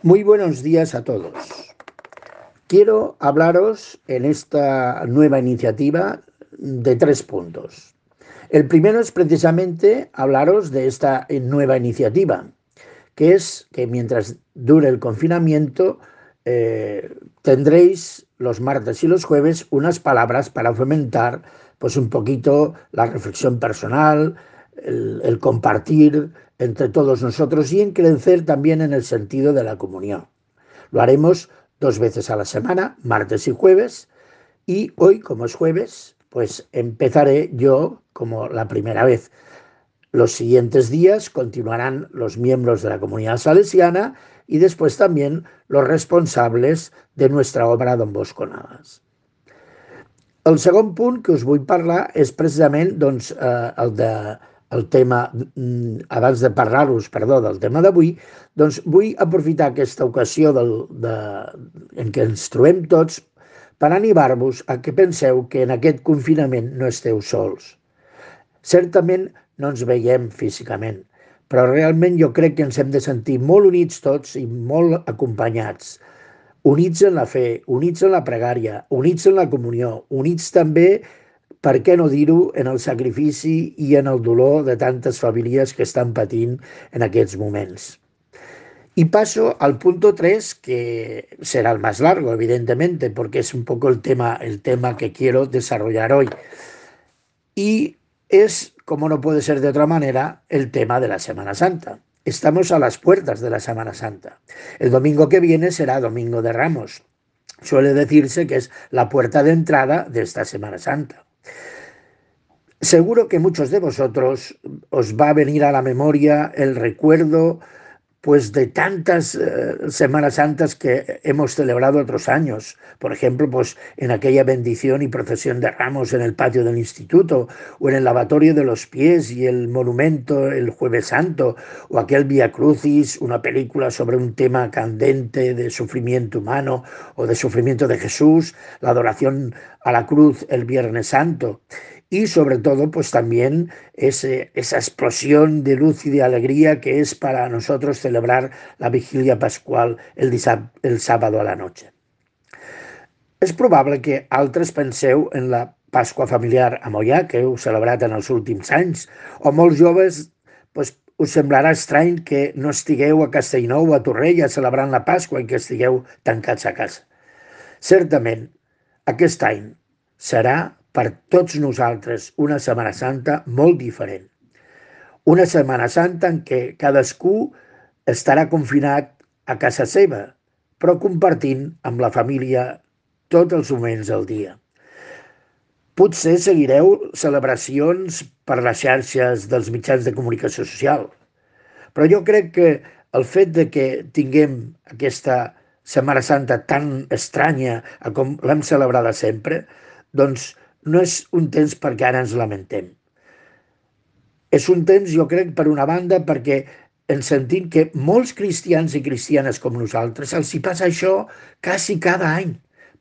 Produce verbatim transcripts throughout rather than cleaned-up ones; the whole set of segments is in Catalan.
Muy buenos días a todos. Quiero hablaros en esta nueva iniciativa de tres puntos. El primero es precisamente hablaros de esta nueva iniciativa, que es que mientras dure el confinamiento eh, tendréis los martes y los jueves unas palabras para fomentar pues un poquito la reflexión personal, el, el compartir entre todos nosotros y en crecer también en el sentido de la comunión. Lo haremos dos veces a la semana, martes y jueves, y hoy, como es jueves, pues empezaré yo como la primera vez. Los siguientes días continuarán los miembros de la comunidad salesiana y después también los responsables de nuestra obra Don Bosco Navas. El segon punt que us vull parlar és precisament doncs, eh, el, de, el tema, abans de parlar-vos, perdó, del tema d'avui, doncs vull aprofitar aquesta ocasió del, de, en què ens trobem tots per animar-vos a que penseu que en aquest confinament no esteu sols. Certament no ens veiem físicament, però realment jo crec que ens hem de sentir molt units tots i molt acompanyats. Units en la fe, units en la pregària, units en la comunió, units també, per què no dir-ho, en el sacrifici i en el dolor de tantes famílies que estan patint en aquests moments. Y paso al punto tres, que será el más largo, evidentemente, porque es un poco el tema, el tema que quiero desarrollar hoy. Y es, como no puede ser de otra manera, el tema de la Semana Santa. Estamos a las puertas de la Semana Santa. El domingo que viene será Domingo de Ramos. Suele decirse que es la puerta de entrada de esta Semana Santa. Seguro que muchos de vosotros os va a venir a la memoria el recuerdo pues de tantas eh, Semanas Santas que hemos celebrado otros años. Por ejemplo, pues en aquella bendición y procesión de ramos en el patio del instituto, o en el lavatorio de los pies y el monumento el Jueves Santo, o aquel Vía Crucis, una película sobre un tema candente de sufrimiento humano o de sufrimiento de Jesús, la adoración a la cruz el Viernes Santo. Y sobre todo, pues también ese, esa explosión de luz y de alegría que es para nosotros celebrar la vigilia pascual el, el sábado a la noche. És probable que altres penseu en la Pasqua familiar a Moià, que heu celebrat en els últims anys, o molts joves pues, us semblarà estrany que no estigueu a Castellnou o a Torrella celebrant la Pasqua i que estigueu tancats a casa. Certament, aquest any serà per tots nosaltres una Setmana Santa molt diferent. Una Setmana Santa en què cadascú estarà confinat a casa seva, però compartint amb la família tots els moments del dia. Potser seguireu celebracions per les xarxes dels mitjans de comunicació social, però jo crec que el fet de que tinguem aquesta Setmana Santa tan estranya com l'hem celebrada sempre, doncs no és un temps perquè ara ens lamentem. És un temps, jo crec, per una banda, perquè ens sentim que molts cristians i cristianes com nosaltres els hi passa això quasi cada any,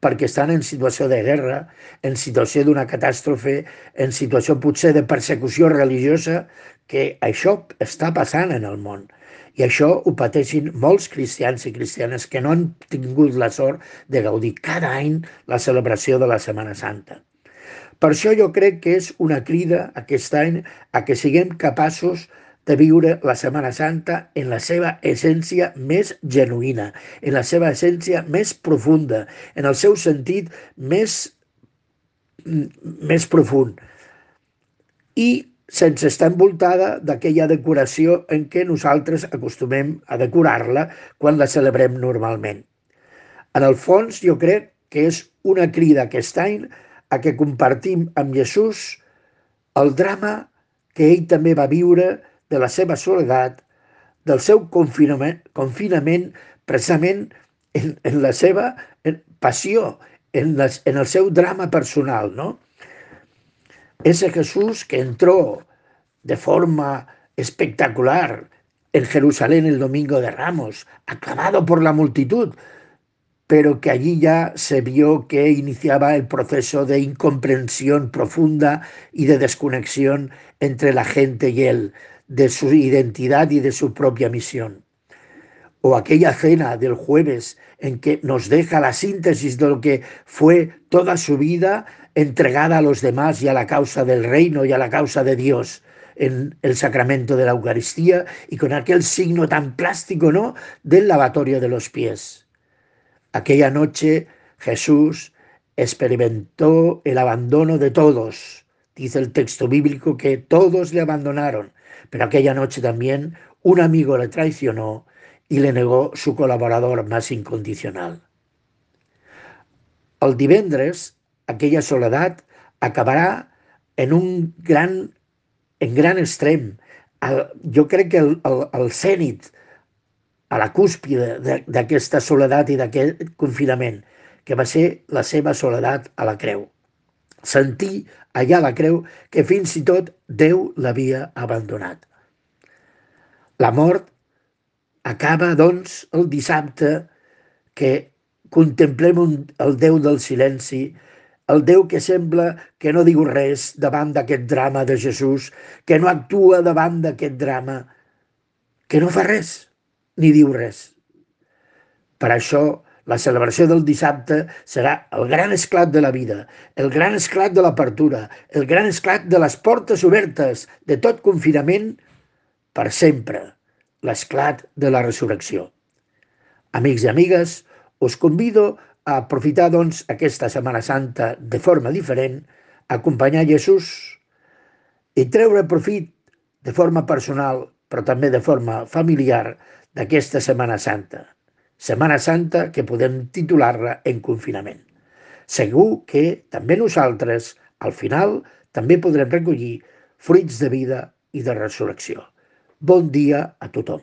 perquè estan en situació de guerra, en situació d'una catàstrofe, en situació potser de persecució religiosa, que això està passant en el món. I això ho pateixin molts cristians i cristianes que no han tingut la sort de gaudir cada any la celebració de la Setmana Santa. Per això jo crec que és una crida aquest any a que siguem capaços de viure la Setmana Santa en la seva essència més genuïna, en la seva essència més profunda, en el seu sentit més, més profund. I sense estar envoltada d'aquella decoració en què nosaltres acostumem a decorar-la quan la celebrem normalment. En el fons, jo crec que és una crida aquest any a que compartim amb Jesús el drama que ell també va viure de la seva soledat, del seu confinament, confinament precisament en, en la seva passió, en, les, en el seu drama personal, ¿no? Ese Jesús que entró de forma espectacular en Jerusalén el Domingo de Ramos, aclamado por la multitud, pero que allí ya se vio que iniciaba el proceso de incomprensión profunda y de desconexión entre la gente y él, de su identidad y de su propia misión. o aquella cena del jueves en que nos deja la síntesis de lo que fue toda su vida entregada a los demás y a la causa del reino y a la causa de Dios en el sacramento de la Eucaristía y con aquel signo tan plástico, ¿no?, del lavatorio de los pies. Aquella noche Jesús experimentó el abandono de todos. Dice el texto bíblico que todos le abandonaron, pero aquella noche también un amigo le traicionó y le negó su colaborador más incondicional. El divendres, aquella soledat acabarà en un gran, en gran extrem. El, jo crec que el, el, el cènit, a la cúspide d'aquesta soledat i d'aquest confinament, que va ser la seva soledat a la creu. Sentir allà a la creu que fins i tot Déu l'havia abandonat. La mort acaba, doncs, el dissabte que contemplem un, el Déu del silenci, el Déu que sembla que no diu res davant d'aquest drama de Jesús, que no actua davant d'aquest drama, que no fa res, ni diu res. Per això, la celebració del dissabte serà el gran esclat de la vida, el gran esclat de l'apertura, el gran esclat de les portes obertes de tot confinament per sempre, l'esclat de la resurrecció. Amics i amigues, us convido a aprofitar, doncs, aquesta Setmana Santa de forma diferent, a acompanyar Jesús i treure profit de forma personal, però també de forma familiar, d'aquesta Setmana Santa. Setmana Santa que podem titular-la en confinament. Segur que també nosaltres, al final, també podrem recollir fruits de vida i de resurrecció. Bon dia a tothom.